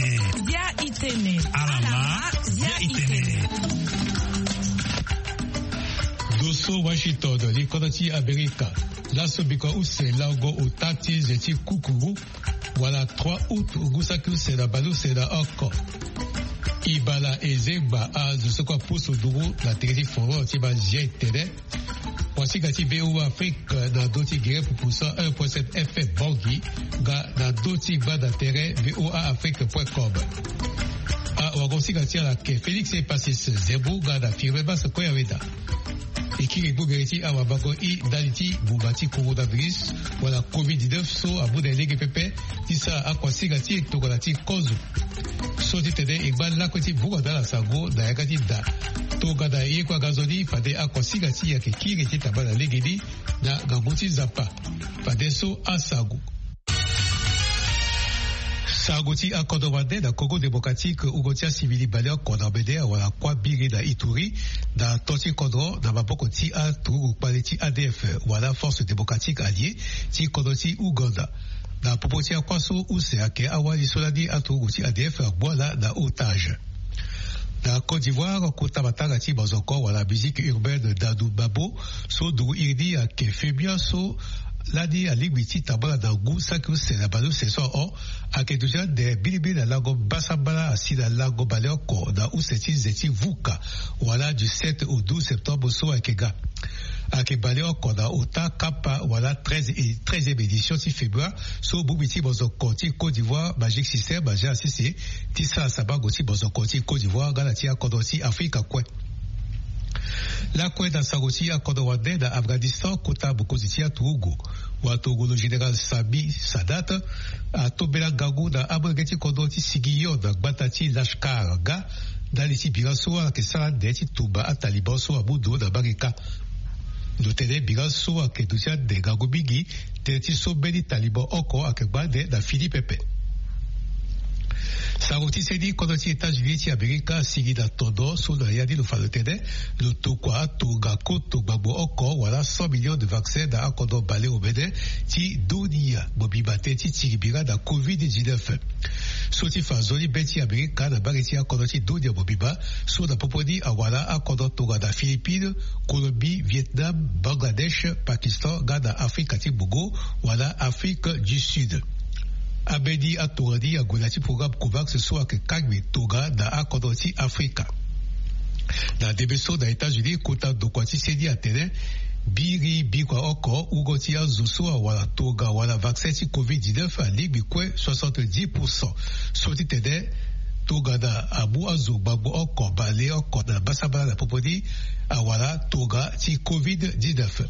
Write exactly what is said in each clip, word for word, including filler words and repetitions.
Zia itene. Alama, zia itene. Doso Washington, li kodro ti Amerika. Laso bikua use lango ota ti ze ti kukuru, wala trois août ngu saki use na baleuse na oko. Ibala ezengba azo so kue apusu nduru na tere ti forum ti bazia etene. Wasinga ti V O A Afrique na ndö ti gere pupu cent un point sept F M Bangui, nga na ndö ti gbanda tere V O A Afrique point com. Awagosinga ti ala ake Félix Epasis Zembu nga na Firme Basse Koyaweda. E kiri gbongere ti awabango i ndali ti ngbuma ti coronavirus, wala covid dix-neuf, so amu na e lege pepe ti sara akuasinga ti e tongana ti kozo. So ti tene e ngba lakue ti vunga na ala sango na yanga ti da tongana ye kue aga nzoni fade akuasinga ti e ayeke kiri ti tamba na legeni na ngangu ti Nzapa. Fadeso asango. Sango ti akodro wande na Congo Démocratique, wungo ti asivili baleoko na omene awara kuâ biri na Ituri, na to ti kodro na maboko ti aturugu kpale ti A D F wala Force Démocratique Alliée ti kodro ti Ouganda. Na popo ti akuâ so use ayeke awali so lani aturugu ti A D F agbu ala na otage. Na Côte d'Ivoire, kota matanga ti mazoko wala musique urbaine Dadu Babo, so nduru iri ni ayeke Febia, so lani alingbi ti tambala na ngu saki use na baleuse so ahon, ayeke duti ande bilimbili na lango mbasambala asi na lango baleoko na use ti nze ti vuka, wala du sept au douze septembre so ayeke ga. Ayeke baleoko na ota kapa wala treize et treizième édition ti Febia, so bongbi ti mazoko ti Côte d'Ivoire Magic System azia asese ti sara sabango ti mazoko ti Côte d'Ivoire nga na ti akodro ti Afrika kue. Lakue na sango ti akodro wande, na Afghanistan, kota mokonzi ti aturugu, watongolo général Sami Sadat, atombela ngangu na amolenge ti kodro ti Sigiyon na gbata ti Lashkar nga, ndali ti bira so ayeke sara ande ti tumba aTaliban so amu ndo na mbage kâ. Lo tene bira so ayeke duti ande ngangu mingi, tënë ti so mbeni Taliban oko ayeke gba ande na fini pepe. Sango ti seni, kodro ti États-Unis ti Amerika asigi na tondo so na ya ni lo fa lo tene lo tokua atonga koto gbagbo oko wala cent millions de vaccins na akodro baleomene ti dunia mobimba tënë ti tiri bira na covid dix-neuf. So ti fa nzoni be ti Amerika na mbage ti akodro ti dunia mobimba, so na popo ni awara akodro tongana Philippines, Colombie, Vietnam, Bangladesh, Pakistan nga na Afrika ti Bongo wala Afrique du Sud. Ambeni atongana ni ague na ya ti programme COVAX so ayeke kangbi tongana akodro ti Afrika. Na ndembe so na États-Unis, kota ndokua ti seni atene biri bikua oko wungo ti azo so awara tongana wala vaccin ti covid dix-neuf alingbi kue soixante-dix pour cent. So ti tene tongana amu azo gbagbo oko baleoko na mbasambala na popo ni awara tongana ti covid dix-neuf.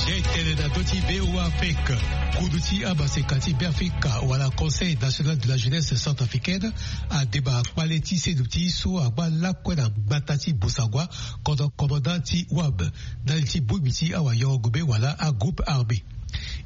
Zia etene na ndö ti V O A Afrique. Kudu ti amaseka ti Beafrika wala Conseil National de la Jeunesse Centrafricaine adeba kpale ti seduti so agba lakue na gbata ti Bossangoa, kodro commandant ti wam, ndali ti bongbi ti awayoro-ngombe wala agroupe armé.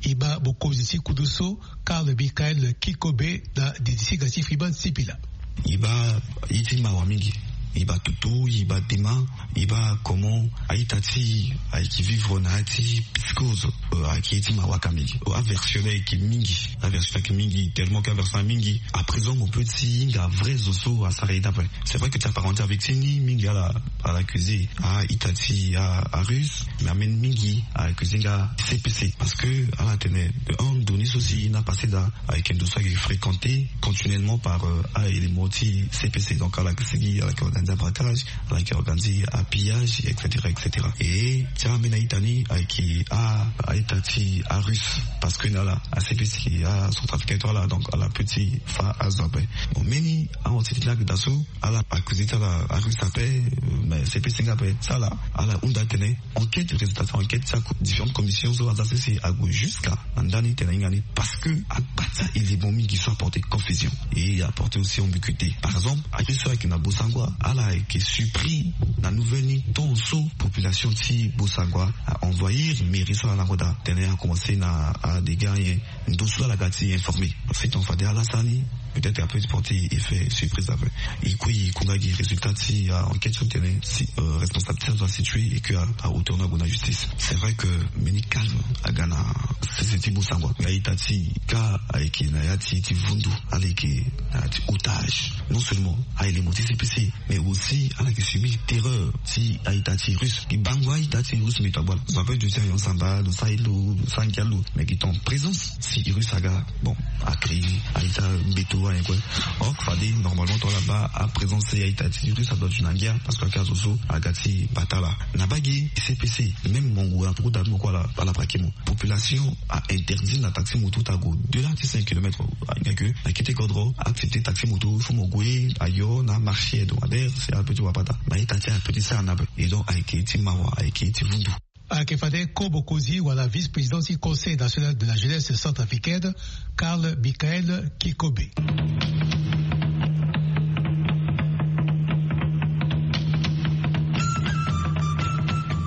E ma mokonzi ti kudu so, Karl Michael Kikobe, na didi singa ti Freeman Sipila. E baa ye ti mawa mingi, e baa tutu, e baa dema, e baa comment a-ita ti e ayeke vivre na ya ti psychose. Euh, ayeke ye ti mawa ka mingi. Euh, aversion ni ayeke mingi, aversion ni ayeke mingi, tellement que aversion ni mingi. À présent mo peut ti hinga vrai zo so asara ye ni ape. C'est vrai que ti apparenté avec ti ni mingi ala, ala accusé a-ita ti a, a Russie, mais ameni mingi ala accusé nga C P C, parce que ala tene de un, ndo ni so si na passé daa ayeke ndo so ayeke fréquenté continuellement par, euh, a-élément ti C P C. Donc ala yeke sigi, ala yeke organisé abraquage, ala yeke organisé apillage, et cetera, et cetera. Et ti ambeni a-ita ni ayeke a, a Tati arus, parce que na ala acpc a centrafricain to ala, donc ala petit fa azo ape. Bon, meni awa ti ti lak daso ala accusé ti ala arus ape. Mais cpc nga ape ti ala ala hunda tene enquête, résultat ti enquête ti différentes commissions so aza sese ague jusqu'à na ndani tene hinga ni, parce que agba ti a élément mingi so apporté confusion et apporté aussi ambiguïté. Par exemple, arus so ayeke na bosangwa ala ayeke surpris na nouvelle ni tant so population ti bosangwa a envahir mairie so ala na ngoda tene a commencé na adega nyen. Ndo so ala ga ti informé. Faiton fade ala sani peut-être ape ti porter effet surprise ape. E kue e kunga gi résultat ti enquête so tene si responsable ti azo asitué et que a hauteur na ague na justice. C'est vrai que meni calme aga na sese ti bosangwa. Nga ita ti ka ayeke na ya ti ti vundu ala yeke na ya ti otage. Non seulement a élément ti cpc mais aussi ala yeke subir terreur ti a-ita ti russe. Gi bango a-ita ti russe mbi to agbala zo ape duti ayon samba lo sara ilo lo sara ngia lo. Mais gi ton présence si russe aga bon a créé a-ita mbeto ayen kue. Or fade normalement to ala baa a présence ti a-ita ti russe adua duti na ngia parce que ake azo so aga ti bata ala na baa gi cpc. Même mongo na poko dabi moko ala ala praki mo. Population a interdit na taxi moto ti ague au-delà ti cinq kilomètres. Ahinga ke na kete kodro accepter taxi moto fo mo gue ayo na marché hebdomadaire si ape ti wapata na ita ti ape ti sara na ape. Et donc ayeke ti mawa ayeke ti vundu. Ayeke fade ko bokozi wala vice-président ti conseil national de la jeunesse centrafricaine, Karl Michael Kikobe.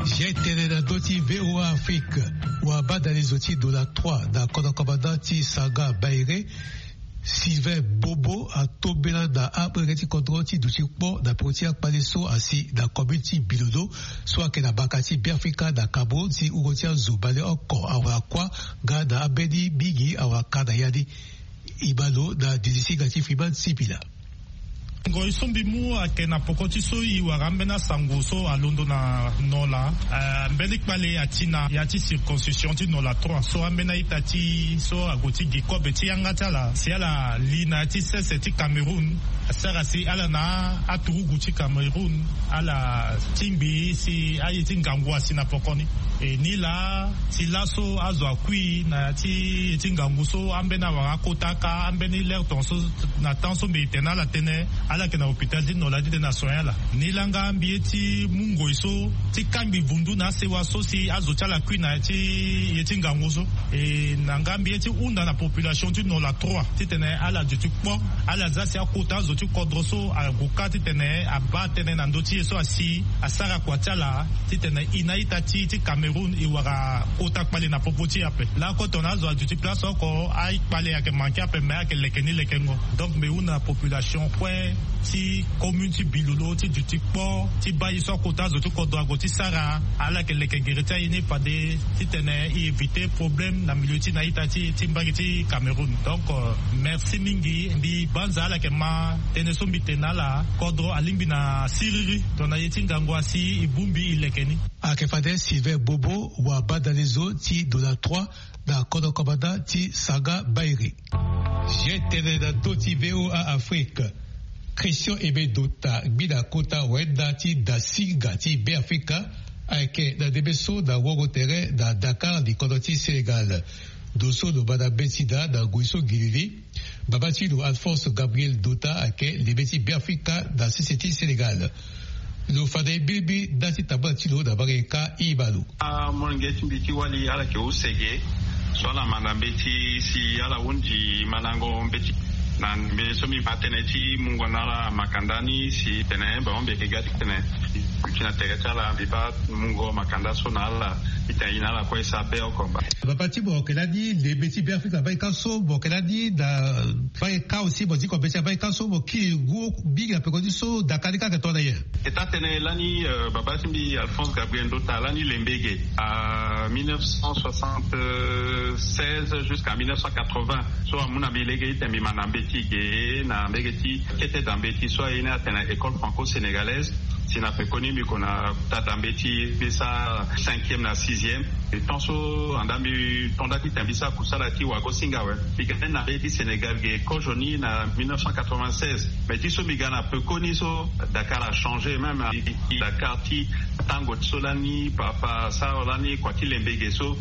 Zia tene na ndö ti VOA Afrique. Wabadalezo ti dola trois na kodro commandant ti Sanga Baire, Sylvain Bobo atombela na abrege ti kodro ti duti kpo na peko ti akpale so asi na commune ti Bilodo so ayeke na baka ti Beafrika na Cameroun si uro ti azo bale oko awara kuâ nga na ambeni mingi awara ka na ya ni. E ma lo na didi singa ti Freeman Sipila. Ngoi so mbi mu ayeke na poko ti so e wara ambeni asango so alondo na nola. Eh, mbeni kpale ati na ya ti circoncision ti nola trois so ambeni a-ita ti so ague ti gi kobe ti yanga ti ala si ala li na ya ti sese ti Cameroun. Asara si ala na aturugu ti Cameroun ala tingbi si aye ti ngangu asi na poko ni. E nilaa si laso azo akui na ya ti ye ti ngangu so ambeni awara akota aka ambeni lere tonga so na temps so mbi tene na ala tënë ala yeke na hôpital ti nola ti tene asoin ala. Nilaa nga mbi ye ti mu ngoi so ti kangbi vundu na asewa so si azo ti ala akui na ya ti ye ti ngangu so. E na nga mbi ye ti hunda na population ti nola trois titene ala duti kpo ala za si akota azo ti kodro so ague kâ titene abaa tënë na ndö ti ye so asi asara kua ti ala titene e na a-ita ti e ti Cameroun e wara kota kpale na popo ti e ape. Lakue tongana azo aduti place oko akpale ayeke manke ape me ayeke leke ni lekengo. Donc mbi hunda na population kue ti commune ti Bilolo ti duti kpo ti baa ye so akota azo ti kodro ague ti sara ala yeke leke gere ti aye ni fade titene e éviter problème na milieu ti na a-ita ti e ti mbage ti Cameroun. Donc euh, merci mingi. Mbi banza ala yeke ma tënë so mbi tene na ala. Kodro alingbi na siriri tongana ye ti ngangu asi e bongbi e leke ni. Ayeke fade Sylvain Bobo wabadalezo ti dola trois na kodro commandant ti Sanga Bairi. Zia tene na ndö ti VOA Afrique. Christian Aimé Dota, gbi na kota wenda ti dasinga ti Beafrika, ayeke na ndembe so na wongo tere na Dakar, likondo ti Sénégal. Ndo so lo ma na mbeti daa na ngoi so gilili. Baba ti lo Alphonse Gabriel Dota ayeke lebe ti Beafrika na sese ti Sénégal. Lo fa na e birimbiri nda ti tambala ti lo na mbage ka e ma lo. Amolenge ti mbi ti wali ala yeke use ge so ala ma na mbeti si ala hundi mandango mbeti. Na mbi so mbi ma tënë ti mungo na ala makanda ni si tene bango mbi yeke ga ti tene duti na tere ti ala mbi baa mungo makanda so na ala. Titene e na ala kue e sara be oko mba. Baba ti mo yeke lani lebe ti Beafrika mbage ka so mo yeke lani na mbage ka aussi mo diko mbeti na mbage ka so mo kiri ngu mingi na peko ti so Dakar ni ka ayeke tongana nyen? Eta tene lani euh, baba ti mbi Alphonse Gabriel Ndota lani lembe ge à mille neuf cent soixante-seize jusqu'à mille neuf cent quatre-vingts. So amu na mbi lege ti tene mbi ma na mbeti ge na mbege ti kete da mbeti so aye ni atene école franco-sénégalaise. Si na pekoni mbi ko na tata mbeti mbi sara cinquième na sixième. E temps so anda mbi tonda ti tene mbi sara kusala ti wago singa awe. Mbi ga ni na mbeti Sénégal ge kozo ni na mille neuf cent quatre-vingt-seize. Mais ti so mbi ga na pekoni so Dakar a changé même. Dakar ti tango ti so lani papa asara lani kua ti lembe ge so.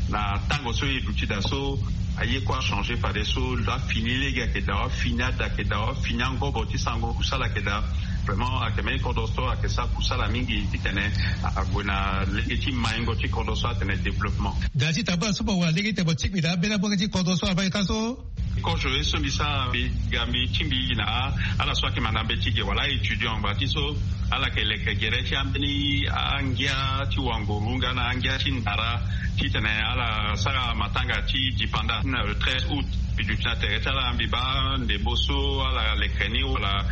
Na tango so e duti daa so, aye kue achangé. Fadeso afini lege ayeke daa, afini ada ayeke daa, afini angobo ti sango kusala ayeke daa. Vraiment ayeke mbeni kodro so ayeke sara kusala mingi titene ague na lege ti maingo ti kodro so atene développement. Daa ti tambula so mo wara lege ti tene mo tingbi daa mbeni abonge ti kodro so ava eka so. Kozo ye so mbi sara, mbi ga mbi tingbi na ala so ayeke manda mbeti ge wala étudiant ngba ti so ala yeke leke gere ti ambeni angia ti wango-runga na angia ti ndara titene ala sara matanga ti dipanda na le treize août. Mbi duti na tere ti ala, mbi baa ndembo so ala leke ni wala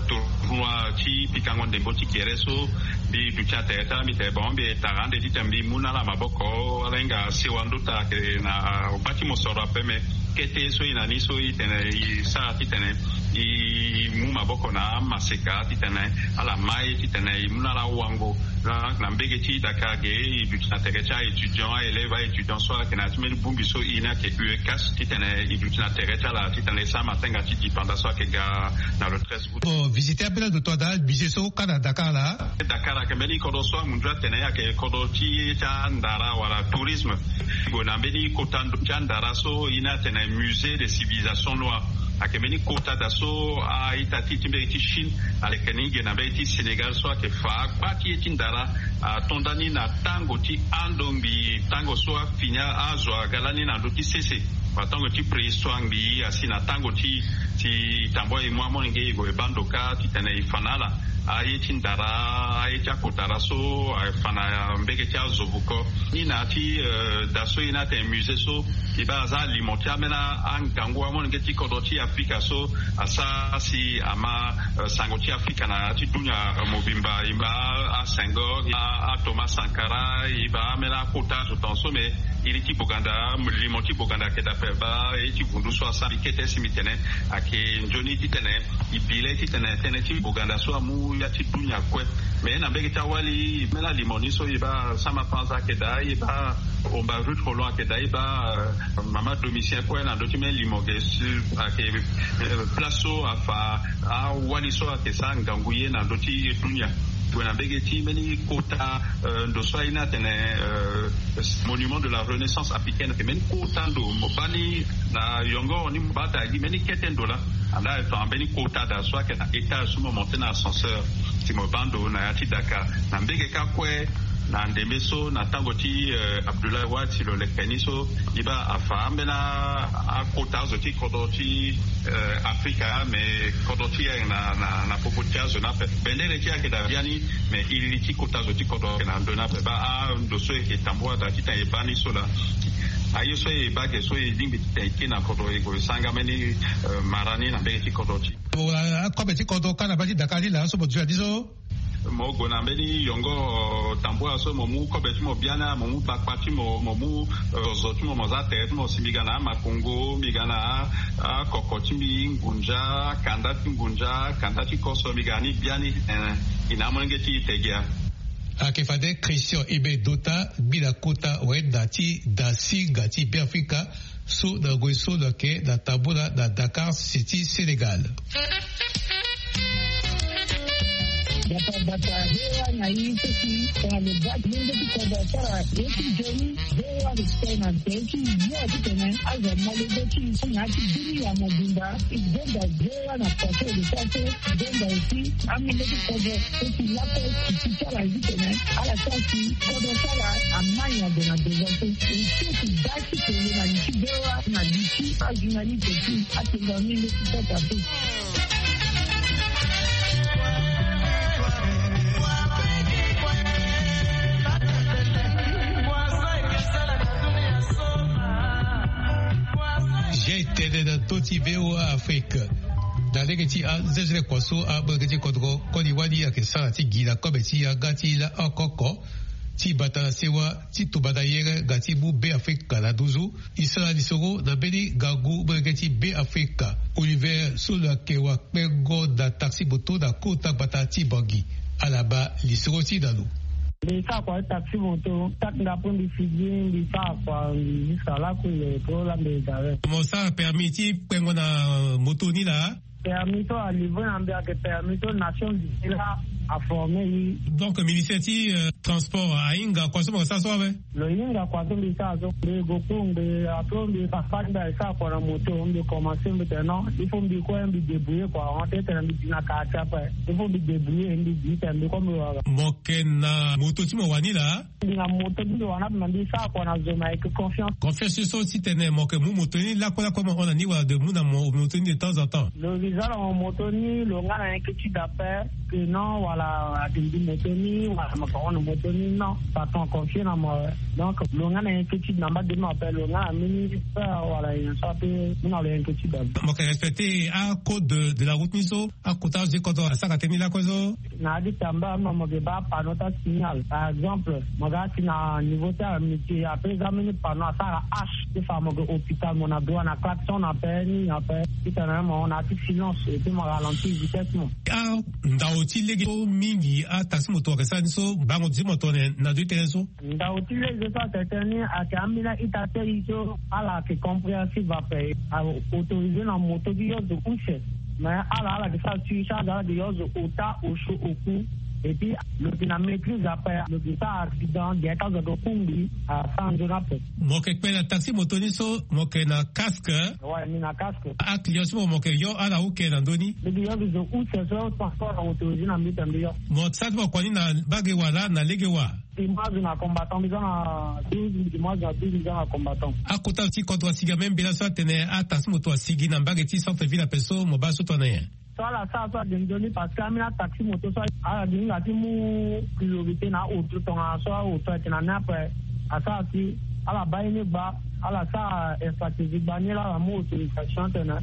tournoi ti pikango ndembo ti gere so. Mbi duti na tere ti ala, mbi tene bon, mbi tara ande titene mbi mu na ala maboko. Ala hinga sewa ndota ayeke na gba ti mosoro ape, me kete so e na ni so e tene e sara titene e mu maboko na amaseka titene ala ma e titene e mu na ala wango. Na mbege ti Dakar ge, e duti na tere ti a-étudiant, a-élève, a-étudiant so ayeke na ya ti mbeni bongbi so e ni ayeke U E C A S, titene e duti na tere ti ala titene e sara matenga ti dipanda so ayeke ga na le treize août. Bon, visiter ambeni ando to ada musée so kâ na Dakar laa. Dakar ayeke mbeni kodro so amunzu atene ayeke kodro ti ye ti andara wala tourisme. Gue na mbeni kota ndo ti andara so e ni atene musée de civilisation noire. Ayeke mbeni kota daa so a-ita ti ti mbege ti Chine aleke ni ge na mbege ti Sénégal so ayeke fa agba ti ye ti ndara. Atonda ni na tango ti ando ngbii, tango so afini azo aga lani na ndö ti sese. Wala tango ti préhistoire ngbii, asi na tango ti, ti tambua e mu amolenge e gue e baa ndo kâ titene e fa na ala aye ti ndara, aye ti akotara so afa na mbege ti azo vuko. Ni na ya ti, eh, daa so e ni atene musée so, e baa aza alimo ti ambeni angangu amolenge ti kodro ti Afrika so asara si ama, eh, sango ti Afrika na ya ti dunia, eh, mobimba. E baa a-Senghor, a, a-Thomas Sankara, e baa ambeni akota azo tongaso, me iri ti boganda, limo ti boganda ayeke daa ape. Baa ye ti vundu so asara, mbi kete si mbi tene ayeke nzoni titene e bi le titene tënë ti boganda so amu ya ti dunia kue. Me na mbege ti awali, mbeni alimo ni so e baa Sama Panza ayeke daa, e baa Omba Ruth Rolland ayeke daa, e baa, eh, mama Domitien kue na ndö ti mbeni limo ge si ayeke, eh, place so afa awali so ayeke sara ngangu ye na ndö ti dunia. Gue na mbege ti mbeni kota, eh, ndo so aye ni atene, eh, monument de la renaissance africaine, ayeke mbeni kota ndo mo baa ni na yongoro ni mo baa daa gi mbeni kete ndo laa. Andaa e fa mbeni kota daa so ayeke na étage so mo monté na ascenseur si mo baa ndo na ya ti Dakar. Na mbege kâ kue, na ndembe so, na tango ti, eh, Abdoulaye Wade, si lo leke ni so, e baa afa ambeni akota azo ti kodro ti, eh, Afrika, me kodro ti e ayeke na, na, na popo ti azo ni ape. Bendere ti e ayeke daa biani, me iri ti kota azo ti kodro ayeke na ndö ni ape. Baa ando so e yeke tambua daa titene e baa ni so laa. Aye so e baa ge so e lingbi titene e kiri na kodro, e gue e sara nga mbeni, eh, mara ni na mbege ti kodro ti e. Akobe ti kodro kâ na baa ti Dakar ni laa so mo duti na ni so. Mo gue na mbeni yongoro tambula so, mo mu kobe ti mo biani, mo mu bakpa ti mo, mo mu, eh, zozo ti mo, mo za tere ti mo si mbi ga na amakongo, mbi ga na a, akoko ti mbi ngunza, akanda ti ngunza, akanda ti koso, mbi ga ni biani, eh, e na amolenge ti e te gia. Ayeke fade Christian Aimé Dota, gbi na kota wayenda ti Dasinga ti Beafrika, so na ngoi so lo yeke na tambula na Dakar, si ti Sénégal. Bata bata, V O A na i seki tongana lo baa ti lenge ti kodro asara ye ti nzoni. V O A lo sika na tere ti yo titene azo molenge ti i so na ya ti dunia mobimba. I donda V O A na façon de faire, donda aussi amolenge ti kodro so ti lakue ti ti ti ala titene ala sara si kodro ti ala amai ague na devant so. I seki baa ti tene na li ti V O A na li ti ajournaliste ti atenga ni leti kota pe. Zia e tene na ndö ti V O A Afrique. Na lege ti azezele kua so amolenge ti kodro koli wali ayeke sara ti gi na kobe ti yanga ti la oko oko ti bata na sewa ti tumba na yere nga ti mu Beafrika na nduzu. E sara lisoro na mbeni ngangu molenge ti Beafrika, Oliver, so lo yeke wakpengo na taxi moto na kota gbata ti Bangui. Ala baa lisoro ti e na lo. Mbi sara kua ti taxi moto, saki nga apo mbi figi, mbi sara kua, mbi jusqu'à lakue, mbi gue ti lo la mbi gare. Mo sara permis ti kpengo na moto ni laa? Permis so alivre na mbi ayeke permis so Nations Unies la. aforme i. Donc ministère ti transport ahinga kua so mo sara so awe? Lo hinga kua so mbi sara so, mbi go kpo mbi apro mbi papa mbi asara kua na moto, mbi commence mbi tene non, il faut mbi kue mbi débrouiller kua, en fait tene mbi di na quartier ape, il faut mbi débrouiller mbi di tene mbi kue mbi wara. Mo yeke na moto ti mo wani laa? Mbi na moto ti mbi wani ape na mbi sara kua na zo me ayeke confiance. Confiance so titene mo yeke mu moto ni lakue lakue mo hon na ni wala de mu na mo moto ni de temps en temps? Lo visa na mo moto ni lo nga na inquiétude ape. Que non wala ati mbi moto ni wala maka wana moto ni non, patron confie na mo. Donc lo nga na inquiétude na mba de mo ape lo nga na mini peur wala nyen so ape. Mu na lo inquiétude ape. Mo yeke respecter acode de la route ni so akota azo ti kodro asara tënë ni lakue so? Na ya ti tamba mo mo yeke baa panneau ti asignal par exemple mo ga ti na niveau ti amitié ape za mini panneau asara hache ti fa mo yeke hôpital mo na droit na klaxon na ape ni ape. Titene mo na ya ti silence et puis mo ralentir vitesse mo. Ndao ti lege so mingi ataxi moto ayeke sara ni so bango ti mo tongana na ndo ti tënë so? Ndao ti lege so ayeke tënë ni ayeke ambeni a-ita ti aye so ala yeke compréhensive ape. Autorisé na moto ti yo zo use. Mais ala ala yeke sara suicharge ala yeke yo zo ota osio oku. Et puis lo yeke na maîtrise ape lo yeke sara accident gere ti azo ayeke kungbi asara nzoni ape. Mo yeke kpe na taxi moto ni so mo yeke na casque? Ouais mbi na casque. Aclient so mo mo yeke yo ala uke na ndö ni? Mbi yeke yo mbi zo use so transport na autorisé na mbi tene mbi yo. Mo sara ti mo kua ni na mbage wa laa na lege wa? Mbi mu azo na combattant mbi za na douze mbi mu azo na douze mbi za na combattant. Akota ti kodro asigi ambeni mbela so atene ataxi moto asigi na mbage ti centre ville ape so mo baa so tongana nyen? So ala sara so ade nzoni parce que ambeni ataxi moto so ala gi hinga ti mu priorité na aoto tongana so aoto ayeke na ni ape. Asara si ala baa ye ni gba ala sara infratégie gba ni laa ala mu autorisation tene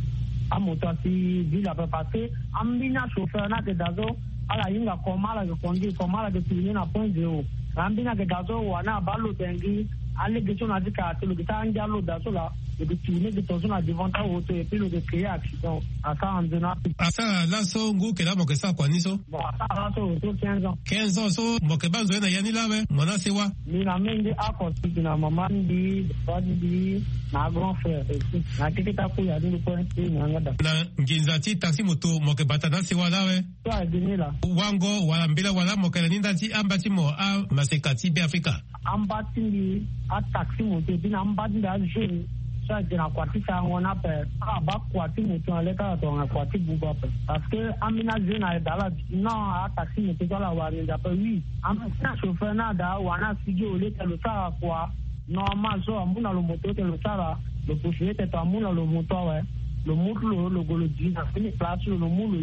amoto asi ville ape parce que ambeni achauffeur ni ayeke daa so ala hinga comment ala yeke conduire comment ala yeke tourner na point zéro. Na ambeni ayeke daa so wani abaa lo tene gi alege so na ya ti quartier lo yeke sara angia lo daa so laa lo yeke tourner gi tongaso na devant ti aoto et puis lo yeke créer accident. Asara nzoni ape. Asara laso ngu yeke laa mo yeke sara kua ni so? Bon asara laso lo so quinze ans. Quinze ans so mo yeke baa nzoni na ya ni laa awe mo na asewa? Mbi na menge oko si mbi na mama ti mbi, papa ti mbi, na grand frère aussi na keke ti akuya ti mbi kue ti na yanga daa. Na nginza ti taxi moto mo yeke bata na asewa laa awe? So ayeke ni laa. Wango wala mbela wala mo yeke na ni nda ti amba ti mo amaseka ti Beafrika? Amba ti mbi ataxi moto et puis na amba ti mbi ajeune so ayeke na kua ti sarango ni ape. Ala baa kua ti moto na le ti ala tongana kua ti buba ape. Parce que ambeni ajeune ayeke daa ala di non ataxi moto so ala wara nginza ape oui. Ambeni achauffeur ni ada wani asigi au lieu ti lo sara kua normal so amu na lo moto ti lo sara. Lo possibilité ti amu na lo moto awe. Lo mu ti lo lo gue lo di na fini place ti lo lo mu lo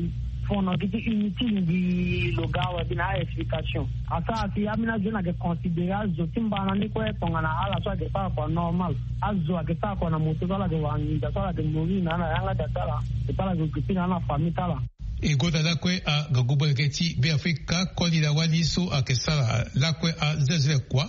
fono gi ti inutile mbi lo ga awe mbi na a-explication. Asara si ambeni azo ni ayeke considéré azo ti mbana ni kue tongana ala so ayeke sara kua normal. Azo ayeke sara kua na moto so ala yeke wara nginza so ala yeke mourir na ala na yanga daa ti ala. Et puis ala yeke occupé na ala na famille ti ala. E gonda lakue angangu molenge ti Beafrika koli na wali so ayeke sara lakue azelzele kua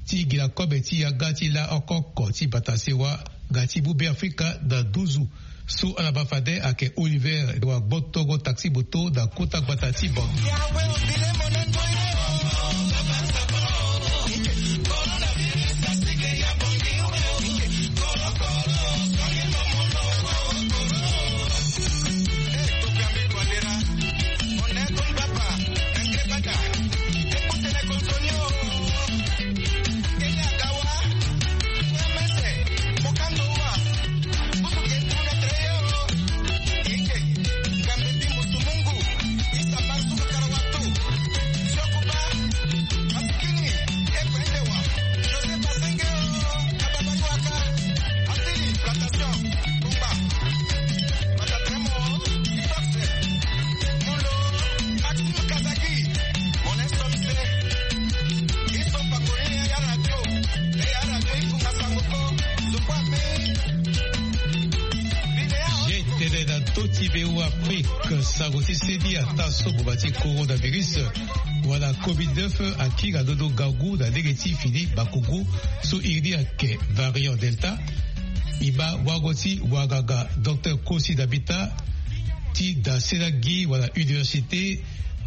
ti gi na kobe ti yanga ti la oko oko ti bata sewa nga ti mu Beafrika na nduzu. So ala ma fade ayeke Oliver wa gbotongo taxi moto na kota gbata ti Bangui. Ye tene na to ti V O Afrique sango ti seni ata so boma ti coronavirus wala covid neuf akiri na londo ngangu na lege ti fini bakongo so iri ni ayeke variant delta. E ma wango ti wanganga docteur Kosi Dabita ti da sela gi wala université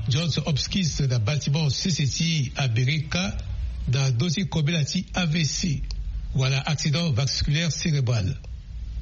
Johns Hopkins na bâtiment sese ti Amerika na ndö ti kobela ti A V C wala accident vasculaire cérébral.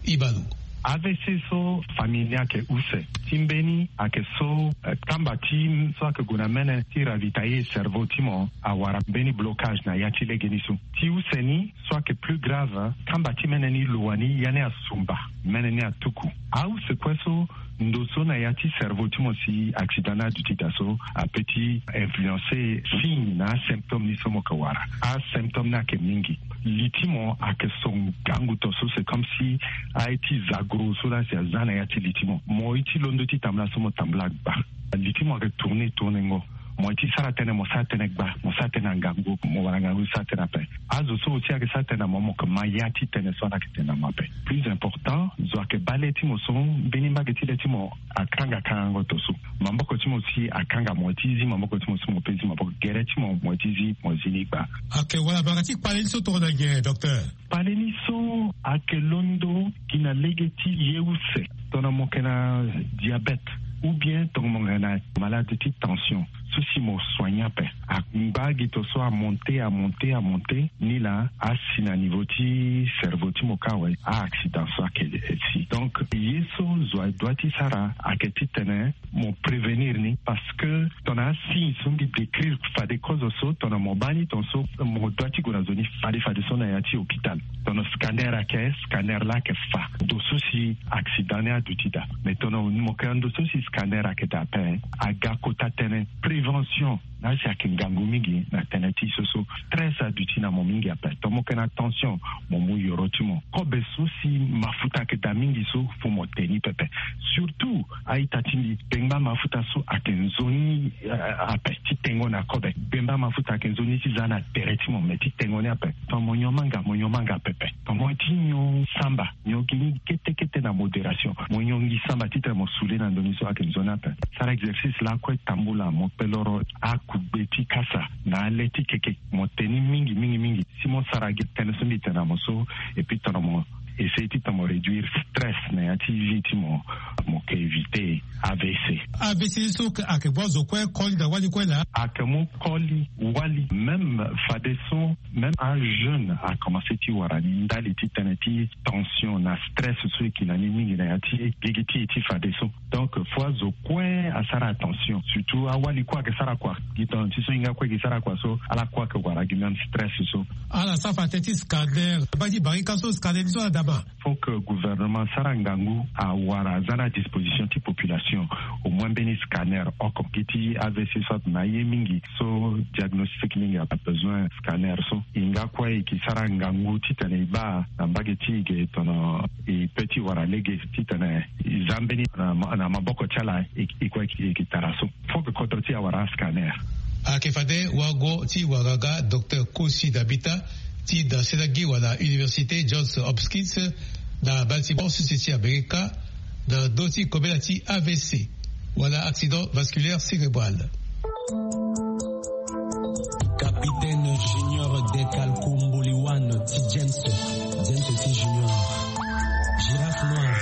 Ibalo. Avc so famille ni ayeke use ti mbeni ayeke so, kamba ti so ayeke gue na mene ti ravitailler cerveau ti mo awara mbeni blocage na ya ti lege ni so. Ti use ni so ayeke plus grave, kamba ti mene ni lo wani ya ni asumba, mene ni atuku. Ause kue so ndo so na ya ti cerveau ti mo si accident ni aduti daa so ape ti influencer signe na asymptôme ni so mo yeke wara. Asymptôme ni ayeke mingi. Li ti mo ayeke so ngangu to so c'est comme si aye ti za gro so laa si aza na ya ti li ti mo. Mo ye ti londo ti tambula so mo tambula gba. Li ti mo ayeke tourner tourner ngo. Mo ye ti sara tënë mo sara tënë gba, mo sara tënë na ngangu, mo wara ngangu ti sara tënë ape. Azo so aussi ayeke sara tënë na mo, mo yeke ma ya ti tënë so ala yeke tene na mo ape. Plus important, zo ayeke baa le ti mo so mbeni mbage ti le ti mo akanga kangango to so. Maboko ti mo si akanga, mo ye ti zi maboko ti mo so mo pe zi maboko, gere ti mo mo ye ti zi mo zi ni gba. Ayeke wala banga ti kpale ni so tongana nyen, docteur? Kpale ni so ayeke londo gi na lege ti ye use, tongana mo yeke na diabète ou bien tongana mo yeke na malade ti tension so si mo soigner ape. Angba gi to so amonte amonte amonte ni laa asi na niveau ti cerveau ti mo kâ awe. Aaccident so ayeke si. Donc ye so zo adoit ti sara ayeke titene mo prévenir ni, parce que tongana asigne so mbi décrire fade kozo so, tongana mo baa ni tongaso mo doit ti gue na zo ni fade fade so na ya ti hôpital. Tongana scanner ayeke, scanner laa ayeke fa ndo so si accident ni aduti daa. Mais tongana mo yeke na ndo so si scanner ayeke daa ape, aga kota tënë prévention. Na si ayeke ngangu mingi na tënë ti so so stress aduti na mo mingi ape. Tongana mo yeke na tension, mo mu yoro ti mo. Kobe so si mafuta ayeke daa mingi so, fo mo te ni pepe. Surtout a-ita ti mbi, bengba mafuta so ayeke nzoni ape ti tengo na kobe. Bengba mafuta ayeke nzoni ti za na tere ti mo, me ti tengo ni ape. Tongana mo nyon manga, mo nyon manga pepe. Tongana mo ye ti nyon samba, nyon gi ni kete kete na modération. Mo nyon gi samba titene mo sule na ndo ni so ayeke nzoni ape. Sara exercice lakue tambula, mo kpe loro akugbe ti kasa na ale ti keke. Mo te ni mingi mingi mingi. Si mo sara gi tënë so mbi tene na mo so, et puis tongana mo essayer titene mo réduire stress na ya ti vie ti mo, mo yeke éviter A V C. A V C so ayeke baa zo kue koli na wali kue laa? Ayeke mu koli wali, même fadeso même ajeune akomanse ti wara ni ndali ti tënë ti tension na stress so e ki na ni mingi na ya ti gigi ti e ti fadeso. Donc fo azo kue asara attention, surtout awali kue ayeke sara kua. Gi tongana ti so hinga kue e ke sara kua so, ala kue ayeke wara gi même stress so. Ala sara fa tënë ti scanner, baa ti barika so scanner ni so ala dama. Faut que gouvernement asara ngangu awara aza na disposition ti population au moins mbeni scanner oko. Gi ti A V C so ato na aye mingi so diagnostic mingi abesoin scanner so. Hinga kue e ke sara ngangu titene e baa na mbage ti e ge tongana e pe ti wara lege titene e za mbeni na maboko ti ala e kue e ke tara so. Faut que kodro ti e awara ascanner. Ayeke fade wago ti wara ga Docteur Kosi Dabita ti dasela gi wala Université Johns Hopkins na Baltimore, sese ti Amerika, na ndö ti kobela ti A V C wala accident vasculaire cérébral. Capitaine Junior Dekalko Mboliwan ti James, James ti Junior. Girafe noire.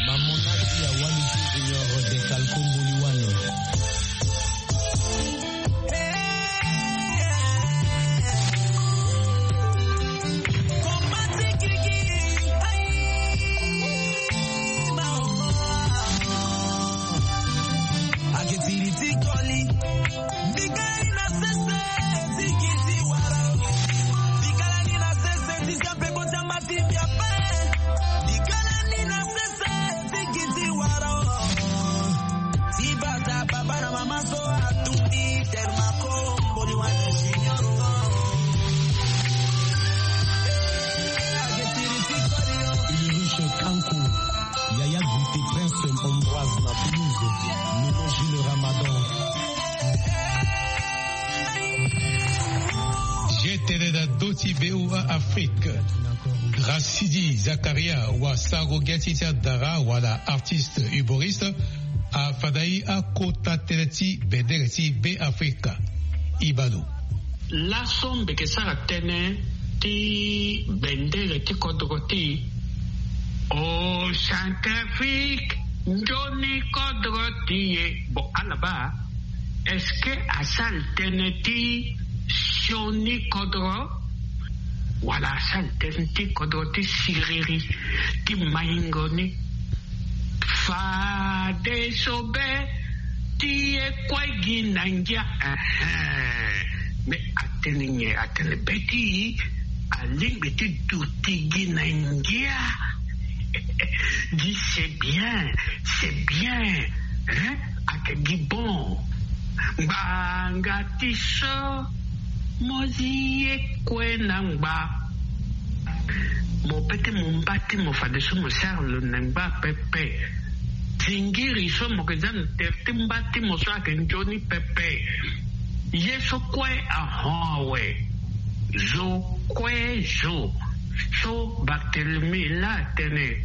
Mamonati ya wali ti Junior Dekalko Mboliwan. Ulrich Kanko, Yaya Guité, Prince Ambroise na Toulouse, Nono Gilles Ramadan. G T N na ndö ti V O A Afrique. Rasidi Zakaria wa sango gi ti ti adara wala artiste humoriste afandai akota tënë ti bendere ti Beafrika. Ibano. Laso mbi yeke sara tënë ti bendere ti kodro ti e. O Centrafrique, nzoni kodro ti e. Bon, ala baa, est-ce que asara tënë ti sioni kodro wala asara tënë ti kodro ti siriri ti maingo ni? Fadeso be ti e kue gi na ngia. Ehe. Mais atene nyen? Atene be ti e alingbi ti duti gi na ngia. Gi c'est bien, c'est bien, hein? Ake gi bon. Ngbanga ti so mo zi ye kue na ngba. Mo pe ti mo mba ti mo fadeso mo sara lo na ngba pepe. Zingiri so mo ke za na tere ti mba ti mo so ake nzoni pepe. Ye so kue ahon awe. Zo kue zo. So Barthélemy laa atene.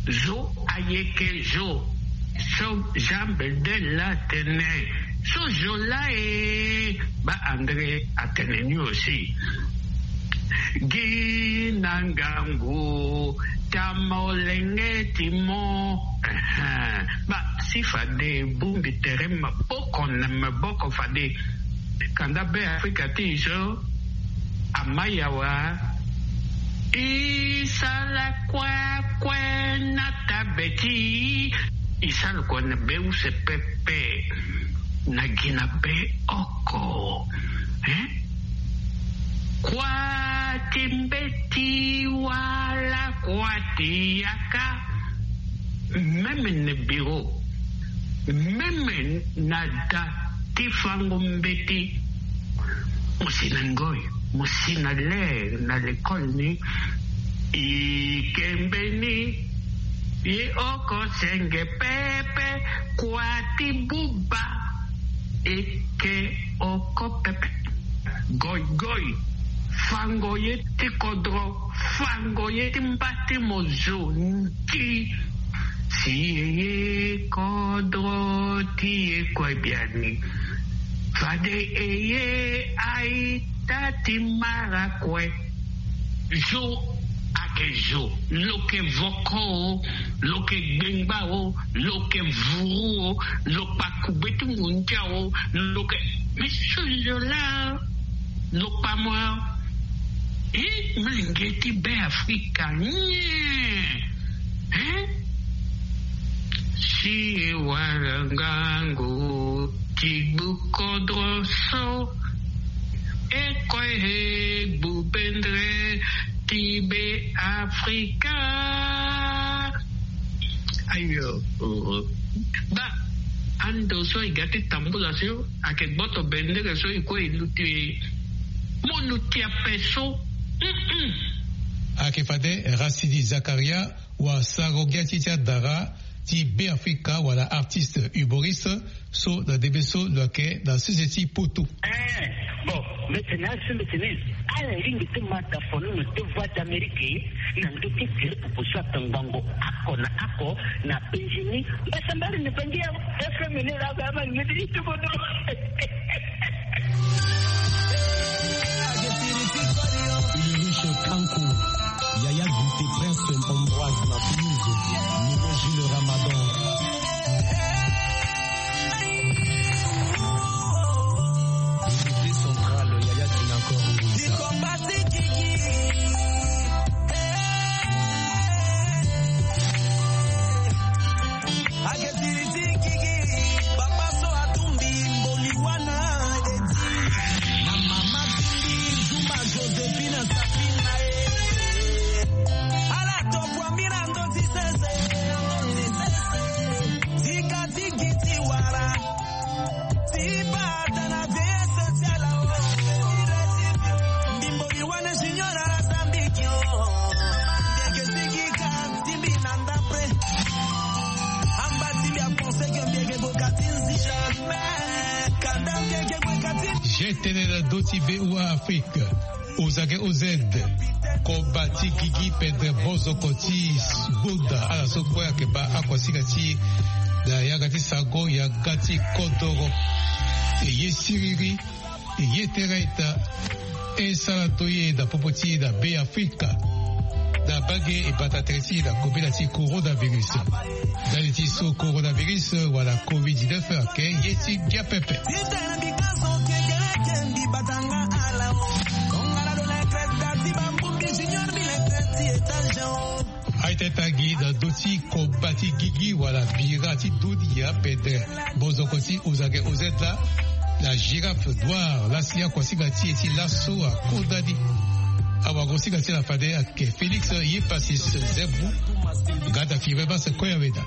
Zo ayeke zo. So Jean Bedel laa atene. So zo laa e. Ba André atene ni aussi. Gi na ngangu ta molenge ti mo. Ehe. Ba si fade bongbi tere maboko na maboko fade. Kanda Be Afrika ti e so ama yawa. E sala kue kue na tabe ti e. E sala kue na be use pepe. Na gi na be oko. Hein? Kua ti mbeti wala kua ti yaka. Même na bureau, même na da ti fango mbeti. Mo si na ngoi, mo si na ler na lekole ni. E ke mbeni. Ye oko senge pepe. Kua ti buba. Eke oko pepe. Goigoi. Fango ye ti kodro. Fango ye ti mba ti mo zo nti. Si e ye kodro ti e kue biani. Fade e ye aita ti mara kue. Zo ake zo. Lo ke voko o. Lo ke gbengba o. Lo ke vuru o. Lo kpa kugbe ti ngundia o. Lo ke. Mais so zo laa lo kpa mo. E, mlenge ti Be Afrika nyen? Hein? Si e wara ngangu ti gbu kodro so. E kue e gbu bendre ti Be Afrika. Ayo. Ba ando so e ga ti tambula so ake gboto bendere so e kue e luti. Mo luti ape so. Mm-mm. Ake fade Racine Zakaria wa saro ngia ti ti adara ti Be Afrika wala artiste humoriste so na ndembe so lo yeke na sese ti Poto. Eh, bon, mbi tene asi mbi tene. Ala lingbi ti ma da fono na nde Voix d'Amérique na nde ti Philippe Poussa Tangbango ako na ako na Benjini. Mbasambari ni bangi ya F M ni la ba ma ngidi ti bodo. Ulrich Kanko, Yaya Guité, Prince Ambroise na Toulouse, Nino Gilles Ramadan. Unité centrale, Yaya Tinakor. Ake siri ti gigi, papa so atumbi mboli wana eti. Na mama timbi Zuma Josephine Safina e. Ala tokua mbi na ndoti sese, na ndoti sese. Tika ti gi ti wara. Ti bata na vie essentiel o. Mbi mboli wana junior ala sambiki o. Ndeke sigi ka. G T N L doti V O A Afrique. Ozage O Z. Koba ti gigi pendre bozoko ti gbonda ala so kue ayeke baa akua sika ti e na yanga ti sango yanga ti kodoro. E ye siriri. E ye tere ita. E sara to ye na popo ti e na Be Afrika. Na bage e bata tere ti e na kobela ti coronavirus. Ndali ti so coronavirus wala covid dix-neuf ayeke ye ti ngia pepe. Aye Teta gi na do ti koba ti gigi wala bira ti dunia pede. Bozoko ti ozage ozet la. La girafe noire la si akuasinga ti e ti laso akonda ni. Awagosinga ti la fade ake Félix Yepasis Zebu. Gada firme base koya weda.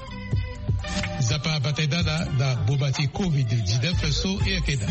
Zapa bata e dala na boma ti covid dix-neuf so e yeke da.